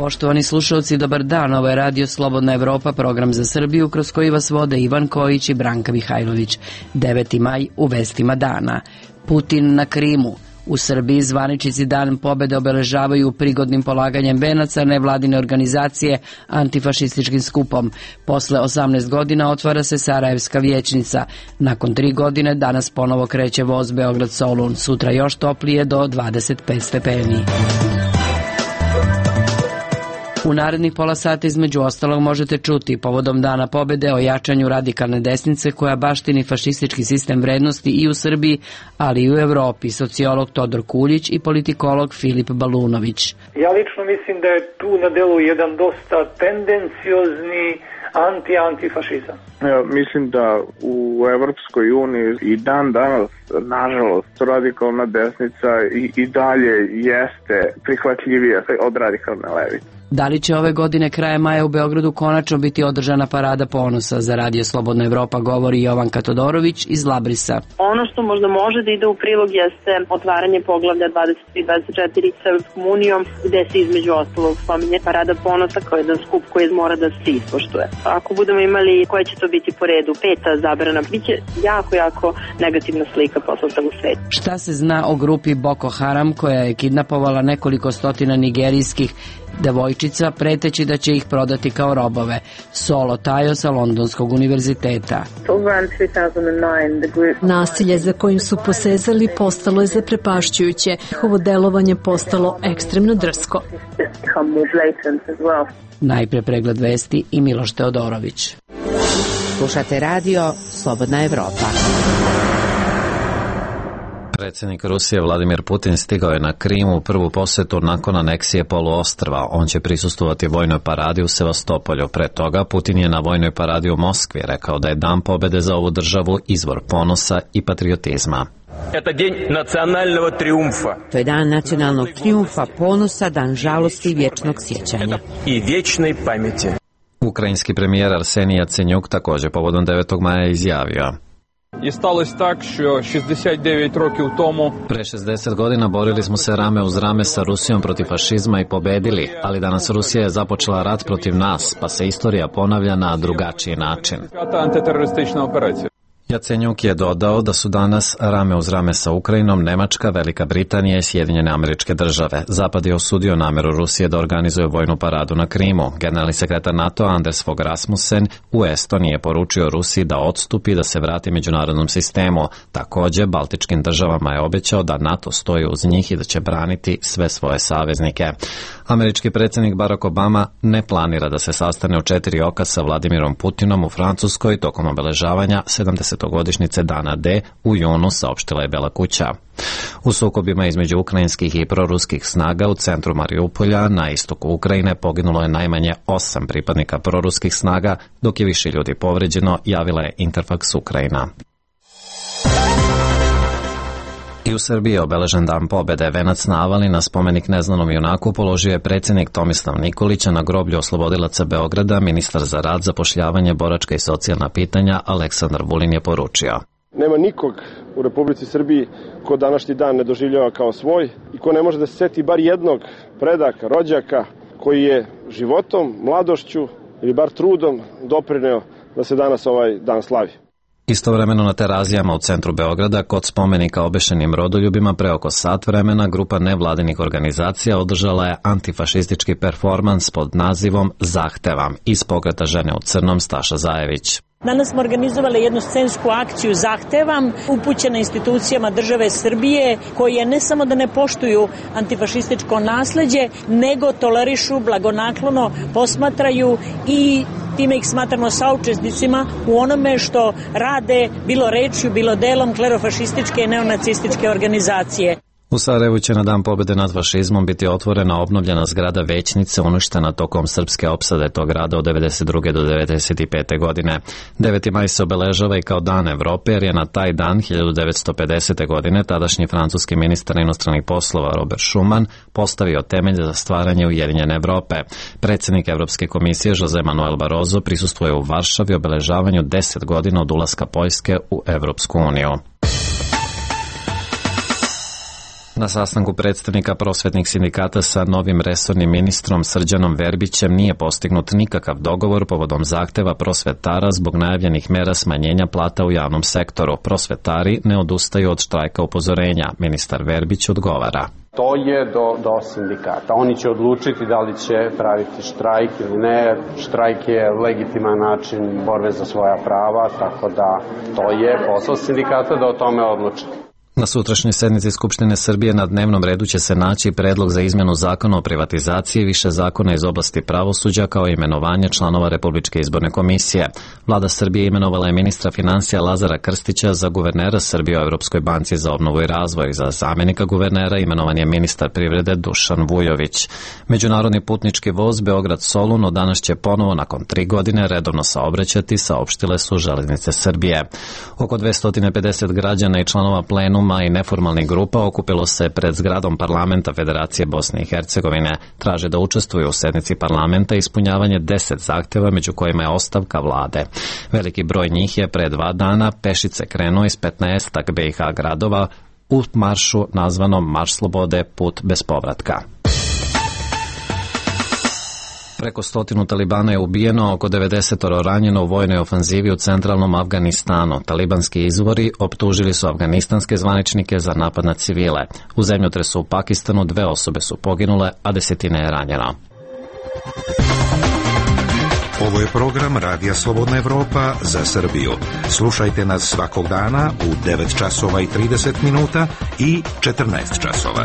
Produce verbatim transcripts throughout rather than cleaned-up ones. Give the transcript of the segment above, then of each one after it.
Poštovani slušalci, dobar dan. Ovo je Radio Slobodna Evropa, program za Srbiju, kroz koji vas vode Ivan Kojić i Branka Mihajlović. deveti maj u vestima dana. Putin na Krimu. U Srbiji zvaničnici Dan pobede obeležavaju prigodnim polaganjem venaca nevladine organizacije antifašističkim skupom. Posle osamnaest godina otvara se Sarajevska vijećnica. Nakon tri godine danas ponovo kreće voz Beograd-Solun. Sutra još toplije do dvadeset pet stepeni. U narednih pola sata između ostalog možete čuti povodom Dana pobede o jačanju radikalne desnice koja baštini fašistički sistem vrednosti i u Srbiji, ali i u Evropi, sociolog Todor Kuljić i politikolog Filip Balunović. Ja lično mislim da je tu na delu jedan dosta tendenciozni anti-antifašizam. Ja, mislim da u Evropskoj uniji i dan danas, nažalost, radikalna desnica i, i dalje jeste prihvatljivija od radikalne levice. Da li će ove godine krajem maja u Beogradu konačno biti održana parada ponosa? Za Radio Slobodna Evropa govori Jovanka Todorović iz Labrisa. Ono što možda može da ide u prilog jeste otvaranje poglavlja dvadeset tri dvadeset četiri sa Evropskom unijom, gde se između ostalog spominje parada ponosa kao jedan skup koji mora da se ispoštuje. Ako budemo imali koje će to biti po redu, peta zabrana, biće jako, jako negativna slika poslata u svetu. Šta se zna o grupi Boko Haram koja je kidnapovala nekoliko stotina nigerijskih devojčica preteći da će ih prodati kao robove? Solo Tajo sa Londonskog univerziteta. Nasilje za kojim su posezali postalo je zaprepašćujuće. Njihovo delovanje postalo ekstremno drsko. Najpre pregled vesti i Miloš Teodorović. Slušate Radio Slobodna Evropa. Predsjednik Rusije Vladimir Putin stigao je na Krim u prvu posetu nakon aneksije poluostrva. On će prisustvovati vojnoj paradi u Sevastopolju. Pre toga Putin je na vojnoj paradi u Moskvi rekao da je Dan pobede za ovu državu izvor ponosa i patriotizma. To je dan nacionalnog trijumfa, ponosa, dan žalosti i vječnog sjećanja. Ukrajinski premijer Arsenij Jacenjuk također povodom devetog maja izjavio: I stалося так, що šezdeset devet років тому Pre šezdeset godina borili smo se rame uz rame sa Rusijom protiv fašizma i pobedili, ali danas Rusija je započela rat protiv nas, pa se istorija ponavlja na drugačiji način. Antiteroristična operacija. Jacenjuk je dodao da su danas rame uz rame sa Ukrajinom Nemačka, Velika Britanija i Sjedinjene Američke Države. Zapad je osudio nameru Rusije da organizuje vojnu paradu na Krimu. Generalni sekretar NATO Anders Fogh Rasmussen u Estoniji je poručio Rusiji da odstupi i da se vrati međunarodnom sistemu. Također, baltičkim državama je obećao da NATO stoji uz njih i da će braniti sve svoje saveznike. Američki predsjednik Barack Obama ne planira da se sastane u četiri oka sa Vladimirom Putinom u Francuskoj tokom obeležavanja sedamdesetogodišnjice Dana D u junu, saopštila je Bela kuća. U sukobima između ukrajinskih i proruskih snaga u centru Mariupolja na istoku Ukrajine poginulo je najmanje osam pripadnika proruskih snaga, dok je više ljudi povređeno, javila je Interfax Ukrajina. I u Srbiji je obeležen Dan pobede. Venac na Avali na spomenik neznanom junaku položio je predsjednik Tomislav Nikolić, a na groblju oslobodilaca Beograda ministar za rad, zapošljavanje, boračka i socijalna pitanja Aleksandar Vulin je poručio: Nema nikog u Republici Srbiji ko današnji dan ne doživljava kao svoj i ko ne može da se seti bar jednog predaka, rođaka koji je životom, mladošću ili bar trudom doprineo da se danas ovaj dan slavi. Istovremeno na Terazijama u centru Beograda kod spomenika obešenim rodoljubima pre oko sat vremena grupa nevladinih organizacija održala je antifašistički performans pod nazivom Zahtevam iz pokreta Žene u crnom Staša Zajević. Danas smo organizovali jednu scensku akciju Zahtevam, upućena institucijama države Srbije, koje ne samo da ne poštuju antifašističko nasleđe, nego tolerišu, blagonaklono posmatraju i time ih smatramo saučesnicima u onome što rade bilo rečju, bilo delom klerofašističke i neonacističke organizacije. U Sarajevu će na Dan pobjede nad fašizmom biti otvorena obnovljena zgrada Većnice, uništena tokom srpske opsade tog grada od devedeset druge do devedeset pete godine. deveti maj se obeležava i kao Dan Evrope, jer je na taj dan hiljadu devetsto pedesete godine tadašnji francuski ministar inostranih poslova Robert Schuman postavio temelj za stvaranje Ujedinjene Evrope. Predsjednik Evropske komisije Jose Manuel Barroso prisustvuje u Varšavi obeležavanju deset godina od ulaska Poljske u Evropsku uniju. Na sastanku predstavnika prosvetnih sindikata sa novim resornim ministrom Srđanom Verbićem nije postignut nikakav dogovor povodom zahteva prosvetara zbog najavljenih mera smanjenja plata u javnom sektoru. Prosvetari ne odustaju od štrajka upozorenja. Ministar Verbić odgovara. To je do, do sindikata. Oni će odlučiti da li će praviti štrajk ili ne. Štrajk je legitiman način borbe za svoja prava, tako da to je posao sindikata da o tome odluči. Na sutrašnjoj sednici Skupštine Srbije na dnevnom redu će se naći predlog za izmenu zakona o privatizaciji, više zakona iz oblasti pravosuđa kao i imenovanje članova Republičke izborne komisije. Vlada Srbije imenovala je ministra finansija Lazara Krstića za guvernera Srbije u Evropskoj banci za obnovu i razvoj. Za zamenika guvernera imenovan je ministar privrede Dušan Vujović. Međunarodni putnički voz Beograd-Solun od danas će ponovo nakon tri godine redovno saobraćati, saopštile su Železnice Srbije. Oko dvesta pedeset građana i članova plenuma i neformalnih grupa okupilo se pred zgradom parlamenta Federacije Bosne i Hercegovine. Traže da učestvuju u sednici parlamenta ispunjavanje deset zahteva, među kojima je ostavka vlade. Veliki broj njih je pre dva dana pešice krenuo iz petnaestak B i H gradova u maršu nazvanom Marš slobode, put bez povratka. Preko stotinu Talibana je ubijeno, oko devedeset ranjeno u vojnoj ofanzivi u centralnom Afganistanu. Talibanski izvori optužili su afganistanske zvaničnike za napad na civile. U zemljotresu u Pakistanu dve osobe su poginule, a desetine je ranjeno. Ovo je program Radija Slobodna Evropa za Srbiju. Slušajte nas svakog dana u devet časova i trideset minuta i četrnaest časova.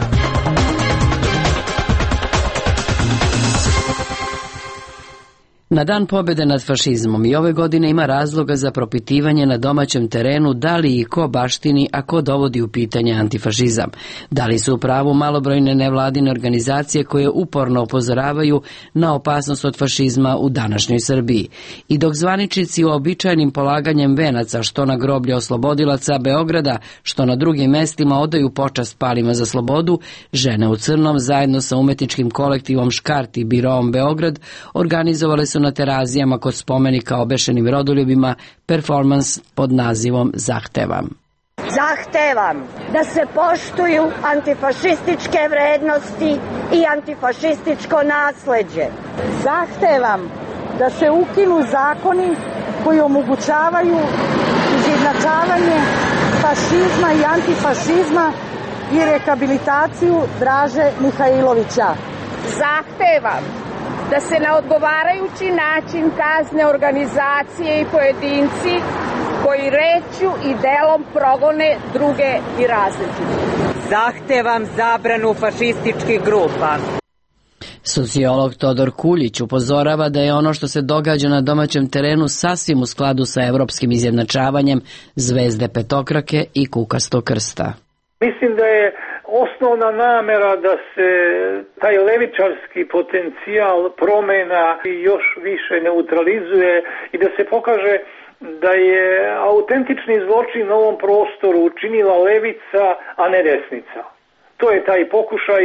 Na dan pobjede nad fašizmom i ove godine ima razloga za propitivanje na domaćem terenu da li i ko baštini, a ko dovodi u pitanje antifašizam. Da li su u pravu malobrojne nevladine organizacije koje uporno upozoravaju na opasnost od fašizma u današnjoj Srbiji. I dok zvaničnici uobičajenim polaganjem venaca, što na groblje oslobodilaca Beograda, što na drugim mestima odaju počast palima za slobodu, žene u crnom zajedno sa umetničkim kolektivom Škart i Biroom Beograd organizovale su na terazijama kod spomenika obešenim rodoljubima performans pod nazivom Zahtevam. Zahtevam da se poštuju antifašističke vrednosti i antifašističko nasleđe. Zahtevam da se ukinu zakoni koji omogućavaju izjednačavanje fašizma i antifašizma i rehabilitaciju Draže Mihajlovića. Zahtevam da se na odgovarajući način kazne organizacije i pojedinci koji rečju i delom progone druge i različite. Zahtevam zabranu fašističkih grupa. Sociolog Todor Kuljić upozorava da je ono što se događa na domaćem terenu sasvim u skladu sa evropskim izjednačavanjem zvezde petokrake i kukastog krsta. Mislim da je osnovna namera da se taj levičarski potencijal promena još više neutralizuje i da se pokaže da je autentični zločin na ovom prostoru učinila levica, a ne desnica. To je taj pokušaj,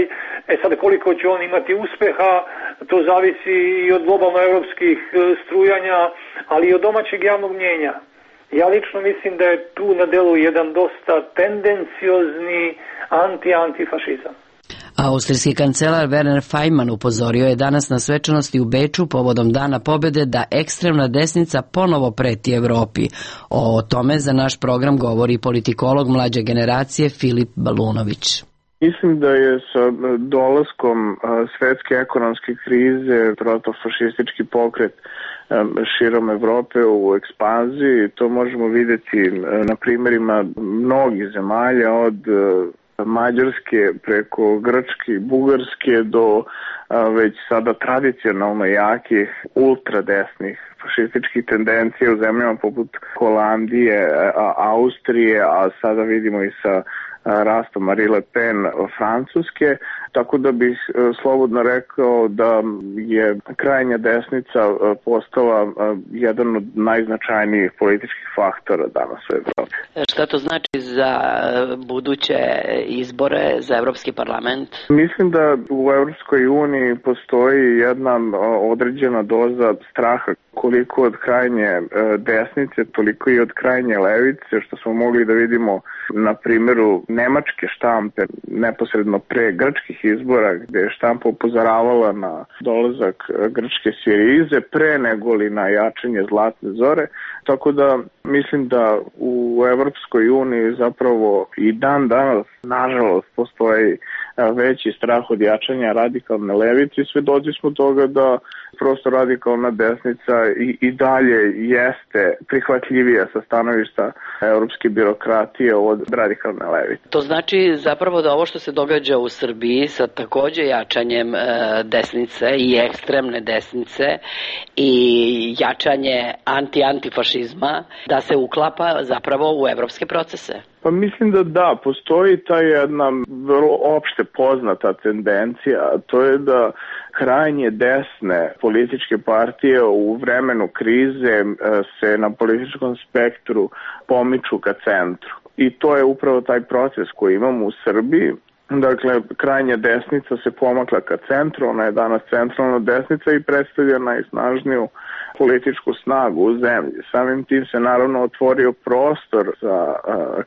e sad koliko će on imati uspeha, to zavisi i od globalno-evropskih strujanja, ali i od domaćeg javnog mnjenja. Ja lično mislim da je tu na delu jedan dosta tendenciozni anti-antifašizam. Austrijski kancelar Werner Faymann upozorio je danas na svečanosti u Beču povodom Dana pobjede da ekstremna desnica ponovo preti Evropi. O tome za naš program govori politikolog mlađe generacije Filip Balunović. Mislim da je sa dolaskom svetske ekonomske krize protofašistički pokret širom Evrope u ekspanziji. To možemo vidjeti na primjerima mnogih zemalja od Mađarske preko Grčke i Bugarske do već sada tradicionalno jakih ultradesnih fašističkih tendencija u zemljama poput Holandije, Austrije, a sada vidimo i sa rastom Marine Le Pen Francuske, tako da bih slobodno rekao da je krajnja desnica postala jedan od najznačajnijih političkih faktora danas u Evropi. Šta to znači za buduće izbore za Evropski parlament? Mislim da u Evropskoj uniji postoji jedna određena doza straha, koliko od krajnje desnice, toliko i od krajnje levice, što smo mogli da vidimo na primjeru nemačke štampe neposredno pre grčkih izbora, gde je štampa upozoravala na dolazak grčke Sirize pre nego li na jačanje Zlatne zore. Tako da mislim da u Evropskoj uniji zapravo i dan danas, nažalost, postoji veći strah od jačanja radikalne levice i svedoci smo toga da prosto radikalna desnica i, i dalje jeste prihvatljivija sa stanovišta evropske birokratije od radikalne levice. To znači zapravo da ovo što se događa u Srbiji sa takođe jačanjem e, desnice i ekstremne desnice i jačanje anti-antifašizma, da se uklapa zapravo u evropske procese. Pa mislim da da, postoji ta jedna vrlo opšte poznata tendencija, a to je da krajnje desne političke partije u vremenu krize se na političkom spektru pomiču ka centru. I to je upravo taj proces koji imamo u Srbiji. Dakle, krajnja desnica se pomakla ka centru, ona je danas centralna desnica i predstavlja najsnažniju političku snagu u zemlji. Samim tim se naravno otvorio prostor za uh,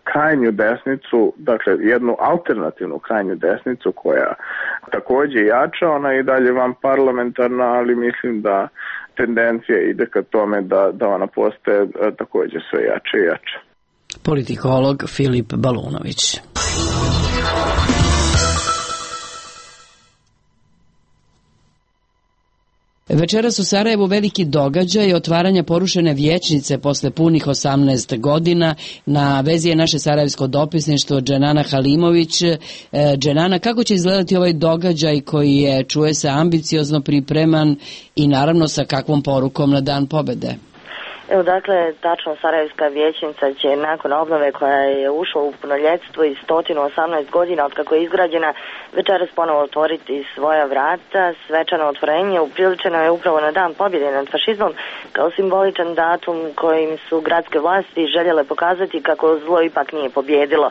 krajnju desnicu, dakle jednu alternativnu krajnju desnicu koja takođe jača, ona je i dalje van parlamentarna, ali mislim da tendencija ide ka tome da, da ona postaje uh, takođe sve jače i jače. Politikolog Filip Balunović. Večeras u Sarajevu veliki događaj otvaranja porušene vijećnice posle punih osamnaest godina. Na vezi je naše sarajevsko dopisništvo Dženana Halimović. Dženana, kako će izgledati ovaj događaj koji je, čuje se, ambiciozno pripreman i naravno sa kakvom porukom na Dan pobede? Evo, dakle, tačno Sarajevska vijećnica će nakon obnove koja je ušla u punoljetstvo i sto osamnaest godina od kako je izgrađena večeras ponovo otvoriti svoja vrata. Svečano otvorenje upriličeno je upravo na Dan pobjede nad fašizmom kao simboličan datum kojim su gradske vlasti željele pokazati kako zlo ipak nije pobjedilo.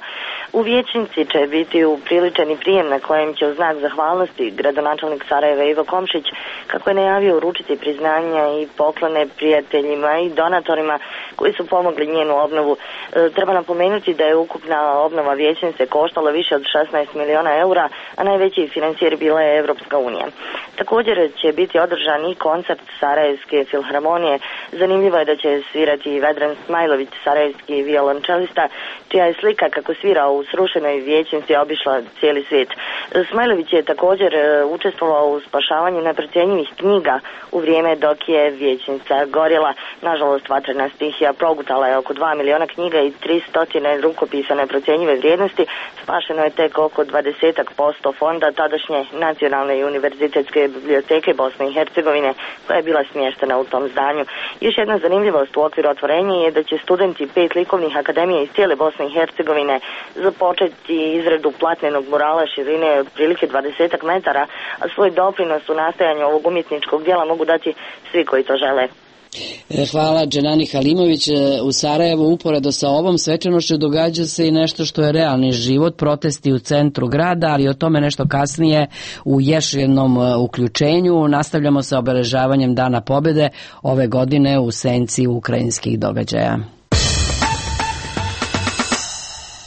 U vijećnici će biti upriličeni prijem na kojem će u znak zahvalnosti gradonačelnik Sarajeva Ivo Komšić, kako je najavio, uručiti priznanja i poklone prijateljima i donatorima koji su pomogli njenu obnovu. E, treba napomenuti da je ukupna obnova vijećnice koštala više od šesnaest miliona eura, a najveći financijer bila je Evropska unija. Također će biti održan i koncert Sarajevske filharmonije. Zanimljivo je da će svirati Vedran Smajlović, sarajevski violončelista, čija je slika kako svira u srušenoj vijećnici obišla cijeli svijet. Smajlović je također učestvovao u spašavanju neprocjenjivih knjiga u vrijeme dok je vijećnica gorjela. Nažalost, vatrena stihija progutala je oko dva miliona knjiga i tristo rukopisa neprocjenjive vrijednosti. Spašeno je tek oko dvadeset posto fonda tadašnje Nacionalne i univerzitetske biblioteke Bosne i Hercegovine, koja je bila smještena u tom zdanju. Još jedna zanimljivost u okviru otvorenja je da će studenti pet likovnih akademija iz cijele Bosne i Hercegovine započeti izradu platnenog murala širine otprilike dvadeset metara, a svoj doprinos u nastajanju ovog umjetničkog dijela mogu dati svi koji to žele. Hvala Dženani Halimović. U Sarajevu uporedo sa ovom svečanošću događa se i nešto što je realni život, protesti u centru grada, ali o tome nešto kasnije u još jednom uključenju. Nastavljamo sa obeležavanjem Dana pobjede ove godine u senci ukrajinskih događaja.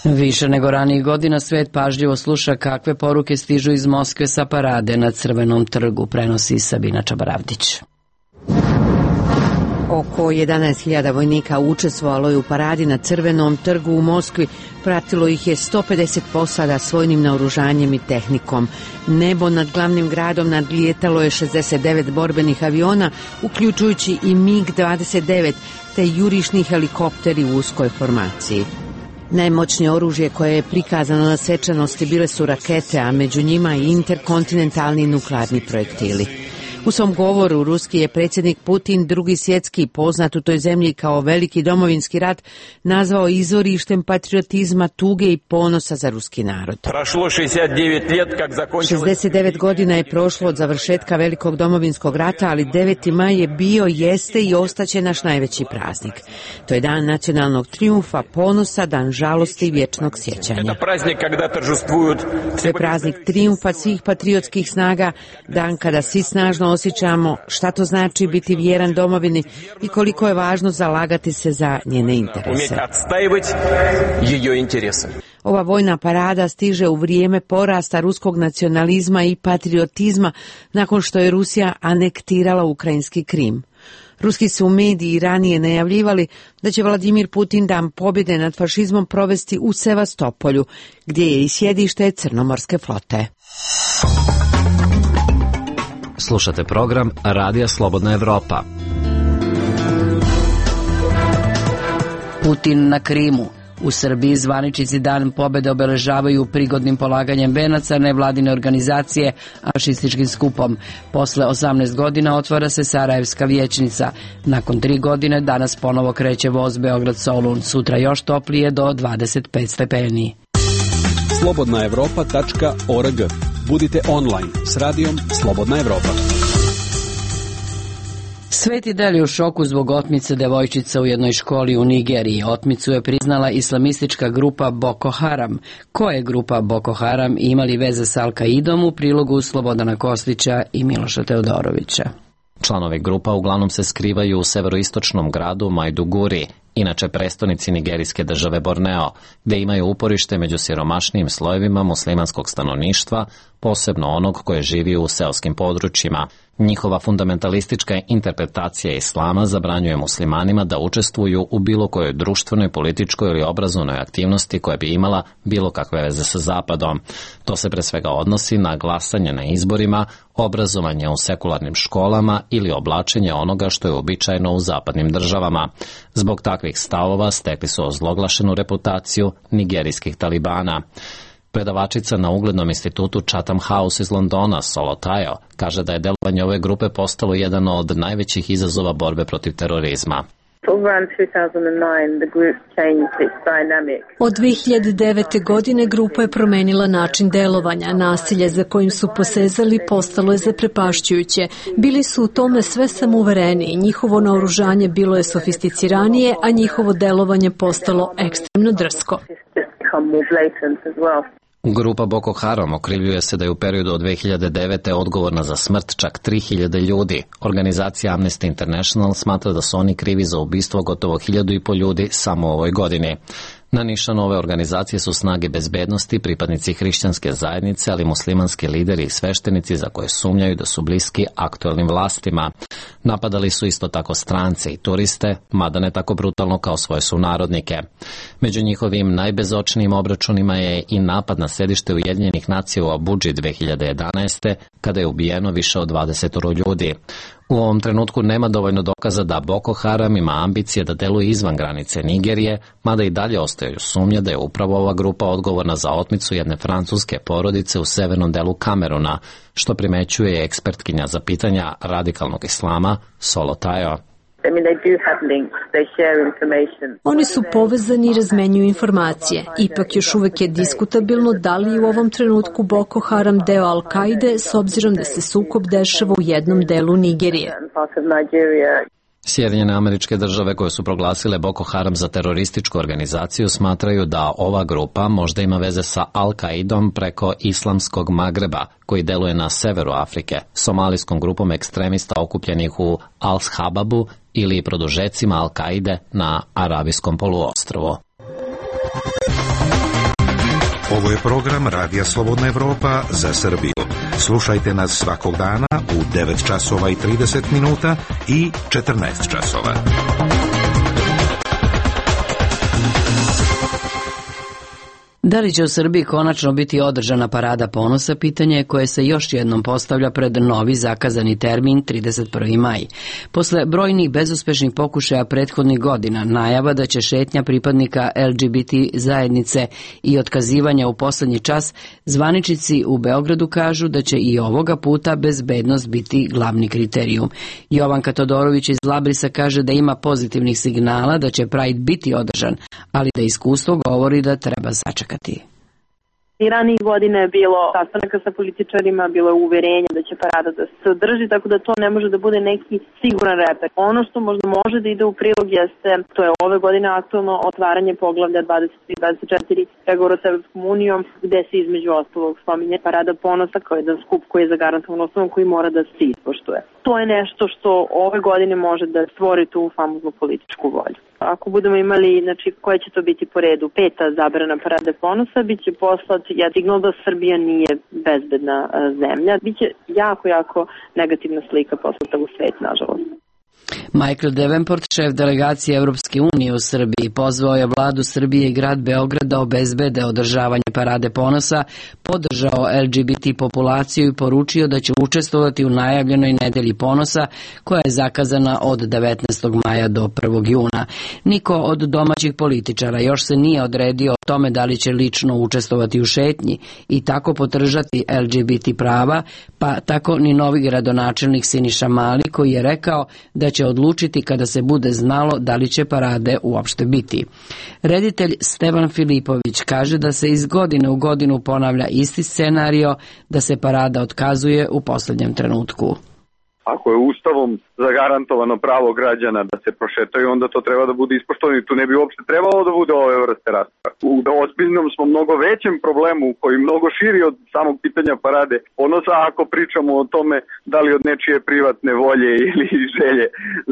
Više nego ranijih godina svet pažljivo sluša kakve poruke stižu iz Moskve sa parade na Crvenom trgu, prenosi Sabina Čabaravdić. Oko jedanaest hiljada vojnika učestvovalo je u paradi na Crvenom trgu u Moskvi. Pratilo ih je sto pedeset posada s vojnim naoružanjem i tehnikom. Nebo nad glavnim gradom nadlijetalo je šezdeset devet borbenih aviona, uključujući i mig dvadeset devet, te jurišni helikopteri u uskoj formaciji. Najmoćnije oružje koje je prikazano na svečanosti bile su rakete, a među njima i interkontinentalni nuklearni projektili. U svom govoru ruski je predsjednik Putin Drugi svjetski, poznat u toj zemlji kao veliki domovinski rat, nazvao izvorištem patriotizma, tuge i ponosa za ruski narod. šezdeset devet godina je prošlo od završetka velikog domovinskog rata, ali deveti maj je bio, jeste i ostaće naš najveći praznik. To je dan nacionalnog trijumfa, ponosa, dan žalosti i vječnog sjećanja. To je praznik trijumfa svih patriotskih snaga, dan kada svi snažno osjećamo šta to znači biti vjeran domovini i koliko je važno zalagati se za njene interese. Ova vojna parada stiže u vrijeme porasta ruskog nacionalizma i patriotizma nakon što je Rusija anektirala ukrajinski Krim. Ruski su mediji ranije najavljivali da će Vladimir Putin dan pobjede nad fašizmom provesti u Sevastopolju, gdje je i sjedište Crnomorske flote. Slušate program Radija Slobodna Evropa. Putin na Krimu. U Srbiji zvaničnici dan pobjede obeležavaju prigodnim polaganjem venaca nevladine organizacije, a fašističkim skupom. Posle osamnaest godina otvara se Sarajevska vijećnica. Nakon tri godine danas ponovo kreće voz Beograd-Solun. Sutra još toplije do dvadeset pet stepeni. slobodna evropa tačka org. Budite online s radijom Slobodna Evropa. Sveti Del je u šoku zbog otmice devojčica u jednoj školi u Nigeriji. Otmicu je priznala islamistička grupa Boko Haram. Ko je grupa Boko Haram i ima li veze s Al-Kaidom, u prilogu Slobodana Kostića i Miloša Teodorovića. Članovi grupa uglavnom se skrivaju u severoistočnom gradu Majduguri, inače prestonici nigerijske države Borneo, gde imaju uporište među siromašnijim slojevima muslimanskog stanovništva, posebno onog koje živi u seoskim područjima. Njihova fundamentalistička interpretacija islama zabranjuje muslimanima da učestvuju u bilo kojoj društvenoj, političkoj ili obrazovnoj aktivnosti koja bi imala bilo kakve veze sa Zapadom. To se pre svega odnosi na glasanje na izborima, obrazovanje u sekularnim školama ili oblačenje onoga što je uobičajeno u zapadnim državama. Zbog takvih stavova stekli su ozloglašenu reputaciju nigerijskih talibana. Predavačica na uglednom institutu Chatham House iz Londona, Solotayo, kaže da je delovanje ove grupe postalo jedan od najvećih izazova borbe protiv terorizma. Od dve hiljade devete. godine grupa je promenila način delovanja. Nasilje za kojim su posezali postalo je zaprepašćujuće. Bili su u tome sve samouvereniji. Njihovo naoružanje bilo je sofisticiranije, a njihovo delovanje postalo ekstremno drsko. Grupa Boko Haram okrivljuje se da je u periodu od dve hiljade devete. odgovorna za smrt čak tri hiljade ljudi. Organizacija Amnesty International smatra da su oni krivi za ubistvo gotovo hiljadu i po ljudi samo u ovoj godini. Na nišanu ove organizacije su snage bezbednosti, pripadnici hrišćanske zajednice, ali muslimanski lideri i sveštenici za koje sumnjaju da su bliski aktuelnim vlastima. Napadali su isto tako strance i turiste, mada ne tako brutalno kao svoje sunarodnike. Među njihovim najbezočnijim obračunima je i napad na sedište Ujedinjenih nacija u Abudži dve hiljade jedanaeste. kada je ubijeno više od dvadeset ljudi. U ovom trenutku nema dovoljno dokaza da Boko Haram ima ambicije da deluje izvan granice Nigerije, mada i dalje ostaju sumnje da je upravo ova grupa odgovorna za otmicu jedne francuske porodice u severnom delu Kameruna, što primećuje ekspertkinja za pitanja radikalnog islama Solotayo. Oni su povezani i razmenjuju informacije. Ipak još uvek je diskutabilno da li je u ovom trenutku Boko Haram deo Al-Kaide s obzirom da se sukob dešava u jednom delu Nigerije. Sjedinjene Američke Države koje su proglasile Boko Haram za terorističku organizaciju smatraju da ova grupa možda ima veze sa Al-Kaidom preko Islamskog Magreba, koji deluje na severu Afrike, somalijskom grupom ekstremista okupljenih u Al-Shababu ili produžecima Al-Kaide na Arabijskom poluostrvu. Ovo je program Radija Slobodna Evropa za Srbiju. Slušajte nas svakog dana u devet časova i trideset minuta i četrnaest časova. Da li će u Srbiji konačno biti održana parada ponosa, pitanje je koje se još jednom postavlja pred novi zakazani termin trideset prvi maj. Posle brojnih bezuspešnih pokušaja prethodnih godina, najava da će šetnja pripadnika L G B T zajednice i otkazivanja u poslednji čas, zvaničnici u Beogradu kažu da će i ovoga puta bezbednost biti glavni kriterijum. Jovanka Todorović iz Labrisa kaže da ima pozitivnih signala da će Pride biti održan, ali da iskustvo govori da treba sačekati. I ranijih godina je bilo sastanaka sa političarima, bilo je uverenje da će parada da se održi, tako da to ne može da bude neki siguran reper. Ono što možda može da ide u prilog jeste, to je ove godine aktualno otvaranje poglavlja dvadeset tri dvadeset četiri pregovora sa Evropskom unijom, gde se između ostalog spominje parada ponosa kao jedan skup koji je zagarantovan osnovom koji mora da se ispoštuje. poštuje. To je nešto što ove godine može da stvori tu famoznu političku volju. Ako budemo imali, znači, koja će to biti po redu, peta zabrana Parade ponosa, bit će poslat ja signal da Srbija nije bezbedna zemlja. Biće jako, jako negativna slika poslata u svet, nažalost. Michael Davenport, šef delegacije Evropske unije u Srbiji, pozvao je vladu Srbije i grad Beograd da obezbede održavanje Parade ponosa, podržao L G B T populaciju i poručio da će učestvovati u najavljenoj nedelji ponosa koja je zakazana od devetnaestog maja do prvog juna. Niko od domaćih političara još se nije odredio o tome da li će lično učestvovati u šetnji i tako podržati L G B T prava, pa tako ni novi gradonačelnik Siniša Mali koji je rekao da će odlučiti kada se bude znalo da li će parade uopšte biti. Reditelj Stevan Filipović kaže da se iz godine u godinu ponavlja isti scenario, da se parada otkazuje u poslednjem trenutku. Ako je ustavom zagarantovano pravo građana da se prošetaju, onda to treba da bude ispoštovano i tu ne bi uopšte trebalo da bude ove vrste rasprave. U ozbiljnom smo mnogo većem problemu koji mnogo širi od samog pitanja Parade ponosa, ako pričamo o tome da li od nečije privatne volje ili želje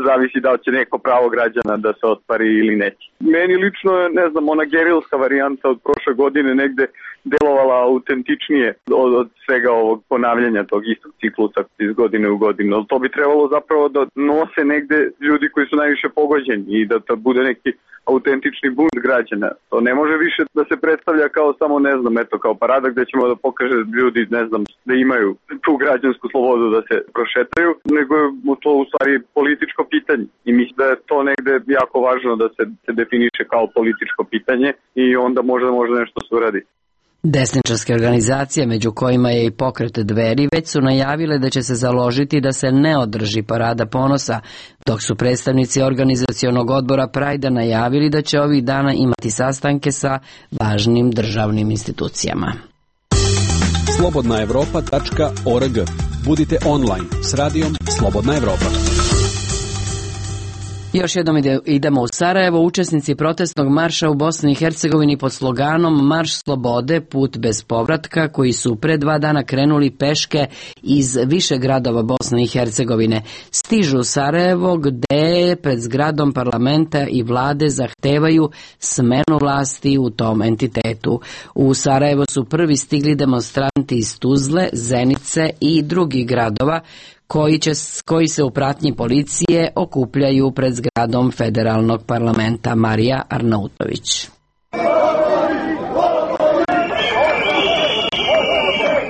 zavisi da li će neko pravo građana da se ostvari ili neće. Meni lično je, ne znam, ona gerilska varijanta od prošle godine negde delovala autentičnije od, od svega ovog ponavljanja tog istog ciklusa iz godine u godinu. To bi trebalo zapravo da nose negde ljudi koji su najviše pogođeni i da to bude neki autentični bunt građana. To ne može više da se predstavlja kao samo, ne znam, eto, kao parada gde ćemo da pokaže ljudi, ne znam, da imaju tu građansku slobodu da se prošetaju, nego je to u stvari političko pitanje. I mislim da je to negde jako važno da se, se definiše kao političko pitanje i onda možda može nešto se uradi. Desničarske organizacije, među kojima je i pokret Dveri, već su najavile da će se založiti da se ne održi Parada ponosa, dok su predstavnici organizacionog odbora Prajda najavili da će ovih dana imati sastanke sa važnim državnim institucijama. slobodna evropa tačka org. Budite online s radijom Slobodna Evropa. Još jednom idemo u Sarajevo. Učesnici protestnog marša u Bosni i Hercegovini pod sloganom Marš slobode, put bez povratka, koji su pre dva dana krenuli peške iz više gradova Bosne i Hercegovine, stižu u Sarajevo gde pred zgradom parlamenta i vlade zahtevaju smenu vlasti u tom entitetu. U Sarajevo su prvi stigli demonstranti iz Tuzle, Zenice i drugih gradova koji, će, koji se u pratnji policije okupljaju pred zgradom federalnog parlamenta. Marija Arnautović.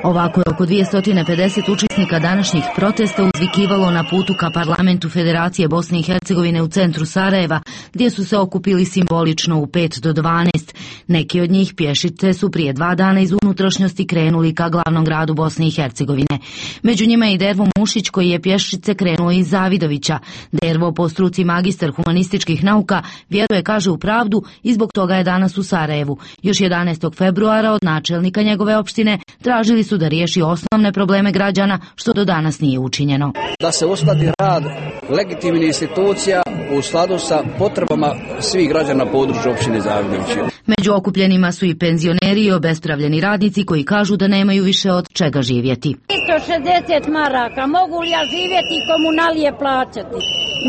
Ovako je oko dvjesto pedeset učesnika današnjih protesta uzvikivalo na putu ka parlamentu Federacije Bosne i Hercegovine u centru Sarajeva, gdje su se okupili simbolično u pet do dvanaest. Neki od njih pješice su prije dva dana iz unutrašnjosti krenuli ka glavnom gradu Bosne i Hercegovine. Među njima je i Dervo Mušić, koji je pješice krenuo iz Zavidovića. Dervo, po struci magistar humanističkih nauka, vjeruje, kaže, u pravdu i zbog toga je danas u Sarajevu. Još jedanaestog februara od načelnika njegove opštine tražili su da riješi osnovne probleme građana, što do danas nije učinjeno. Da se uskladi rad legitimnih institucija u skladu sa potrebama svih građana na području opštine Zavidović. Među okupljenima su i penzioneri i obespravljeni radnici koji kažu da nemaju više od čega živjeti. tristo šezdeset maraka, mogu li ja živjeti i komunalije plaćati?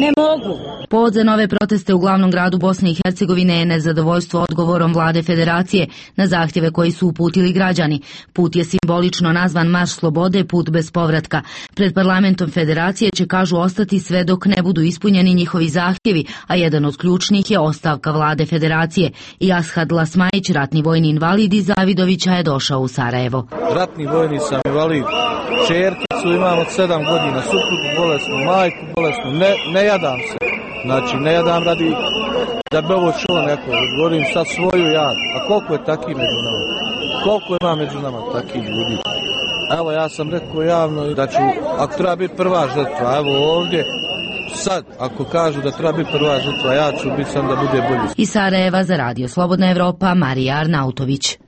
Ne mogu. Povod za nove proteste u glavnom gradu Bosne i Hercegovine je nezadovoljstvo odgovorom vlade Federacije na zahtjeve koji su uputili građani. Put je simbolično nazvan Marš slobode, put bez povratka. Pred parlamentom Federacije će, kažu, ostati sve dok ne budu ispunjeni njihovi zahtjevi, a jedan od ključnih je ostavka vlade Federacije. I Ashad Lasmajić, ratni vojni invalid iz Zavidovića, je došao u Sarajevo. Ratni vojni sam invalid, čerkicu imam od sedam godina, suprugu bolesnu, majku bolesnu, ne, ne jadam se. Znači, ne jadam radi da bi ovo čulo neko, govorim sad svoju jad. A koliko je takih među nama? Koliko ima među nama takih ljudi? Evo, ja sam rekao javno da ću, ako treba biti prva žrtva, evo ovdje, sad, ako kažu da treba biti prva žrtva, ja ću biti sam da bude bolji. Iz Sarajeva za Radio Slobodna Evropa, Marija Arnautović.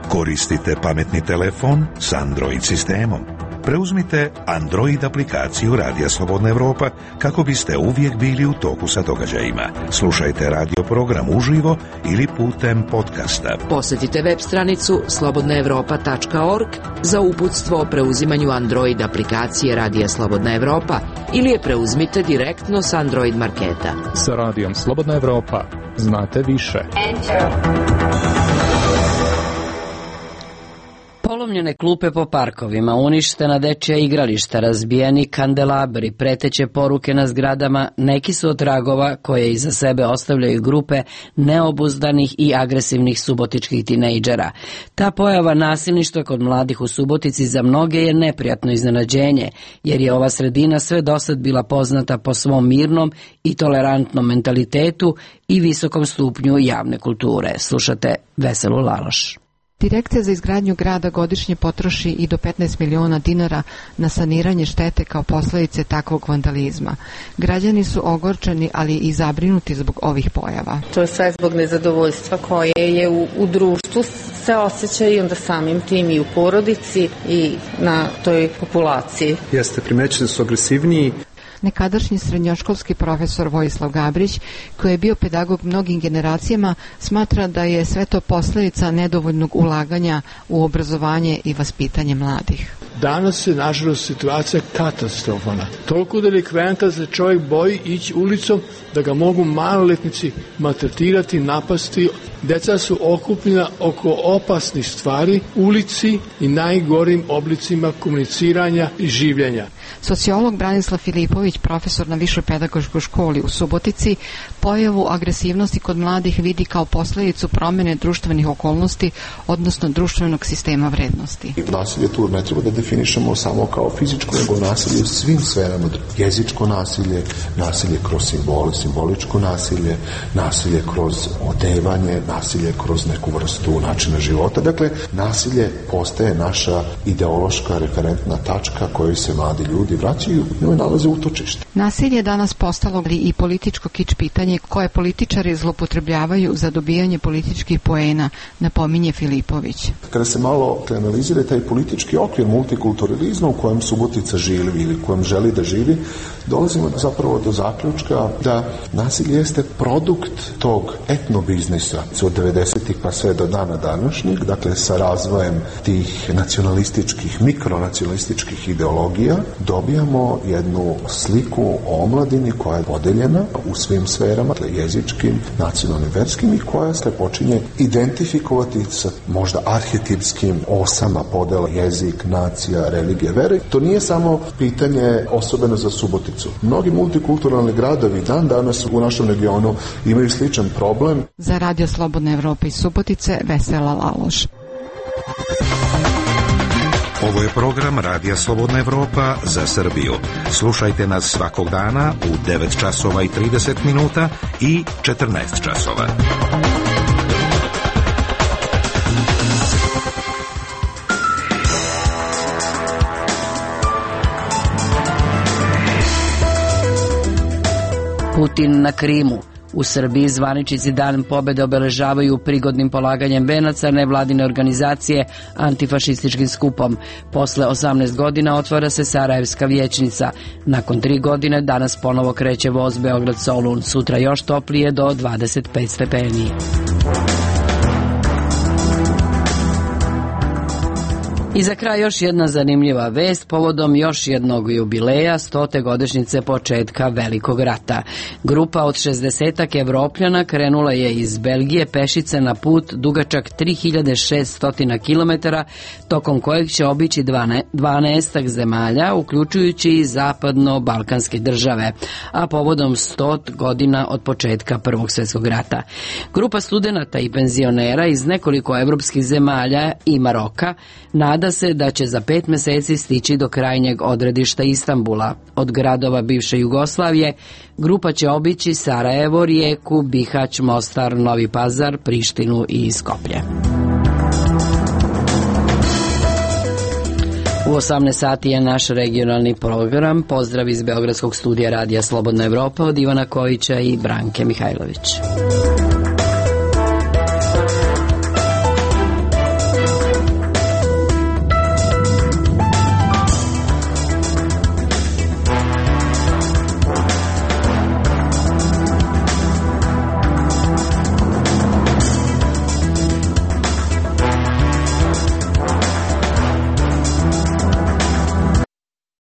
Koristite pametni telefon s Android sistemom. Preuzmite Android aplikaciju Radija Slobodna Evropa kako biste uvijek bili u toku sa događajima. Slušajte radio program uživo ili putem podcasta. Posjetite web stranicu slobodna evropa tačka org za uputstvo o preuzimanju Android aplikacije Radija Slobodna Evropa ili je preuzmite direktno s Android marketa. Sa Radijom Slobodna Evropa znate više. Polomljene klupe po parkovima, uništena dečja igrališta, razbijeni kandelabri, preteće poruke na zgradama, neki su od tragova koje iza sebe ostavljaju grupe neobuzdanih i agresivnih subotičkih tinejdžera. Ta pojava nasilništva kod mladih u Subotici za mnoge je neprijatno iznenađenje, jer je ova sredina sve dosad bila poznata po svom mirnom i tolerantnom mentalitetu i visokom stupnju javne kulture. Slušate Veselu Laloš. Direkcija za izgradnju grada godišnje potroši i do petnaest miliona dinara na saniranje štete kao posljedice takvog vandalizma. Građani su ogorčeni, ali i zabrinuti zbog ovih pojava. To je sve zbog nezadovoljstva koje je u, u društvu se osjeća i onda samim tim i u porodici i na toj populaciji. Jeste, primećeni da su agresivniji. Nekadašnji srednjoškolski profesor Vojislav Gabrić, koji je bio pedagog mnogim generacijama, smatra da je sve to posljedica nedovoljnog ulaganja u obrazovanje i vaspitanje mladih. Danas je, nažalost, situacija katastrofalna. Toliko delikventa da se čovjek boji ići ulicom da ga mogu maloletnici maltretirati, napasti. Deca su okupljena oko opasnih stvari, ulici i najgorim oblicima komuniciranja i življenja. Sociolog Branislav Filipović, profesor na Višoj pedagoškoj školi u Subotici, pojavu agresivnosti kod mladih vidi kao posljedicu promjene društvenih okolnosti, odnosno društvenog sistema vrednosti. Nasilje tu ne treba da definišemo samo kao fizičko, nego nasilje u svim sferama. Jezičko nasilje, nasilje kroz simbole, simboličko nasilje, nasilje kroz odevanje, nasilje kroz neku vrstu načina života. Dakle, nasilje postaje naša ideološka referentna tačka kojoj se mladi ljudi vraćaju, njoj nalaze utočište. Nasilje je danas postalo i političko kič pitanje koje političari zloupotrebljavaju za dobijanje političkih poena, napominje Filipović. Kada se malo analizira taj politički okvir multikulturalizma u kojem Subotica živi ili u kojem želi da živi, dolazimo zapravo do zaključka da nasilje jeste produkt tog etnobiznisa od devedesetih pa sve do dana današnjeg, dakle sa razvojem tih nacionalističkih, mikronacionalističkih ideologija, dobijamo jednu sliku o omladini koja je podeljena u svim sferama, dakle jezičkim, nacionalnim, verskim i koja se počinje identifikovati sa možda arhetipskim osama podela jezik, nacija, religija, vere. To nije samo pitanje osobeno za Suboticu. Mnogi multikulturalni gradovi dan danas u našem regionu imaju sličan problem. Za Radio Slobodna Evropa iz Subotice, Vesela Laloš. Ovo je program Radija Slobodna Evropa za Srbiju. Slušajte nas svakog dana u devet časova i trideset minuta i četrnaest časova. Putin na Krimu. U Srbiji zvaničnici Dan pobede obeležavaju prigodnim polaganjem venaca nevladine organizacije antifašističkim skupom. Posle osamnaest godina otvara se Sarajevska vijećnica. Nakon tri godine danas ponovo kreće voz Beograd-Solun. Sutra još toplije do dvadeset pet stepeni. I za kraj još jedna zanimljiva vest povodom još jednog jubileja, stote godišnjice početka Velikog rata. Grupa od šezdesetak Evropljana krenula je iz Belgije pešice na put dugačak tri hiljade šesto kilometara, tokom kojeg će obići dvanaest zemalja, uključujući i zapadno-balkanske države, a povodom sto godina od početka Prvog svjetskog rata. Grupa studenata i penzionera iz nekoliko evropskih zemalja i Maroka nada se da će za pet meseci stići do krajnjeg odredišta Istanbula. Od gradova bivše Jugoslavije grupa će obići Sarajevo, Rijeku, Bihać, Mostar, Novi Pazar, Prištinu i Skoplje. U osamnaest sati je naš regionalni program. Pozdrav iz Beogradskog studija Radija Slobodna Evropa od Ivana Kojića i Branke Mihajlović.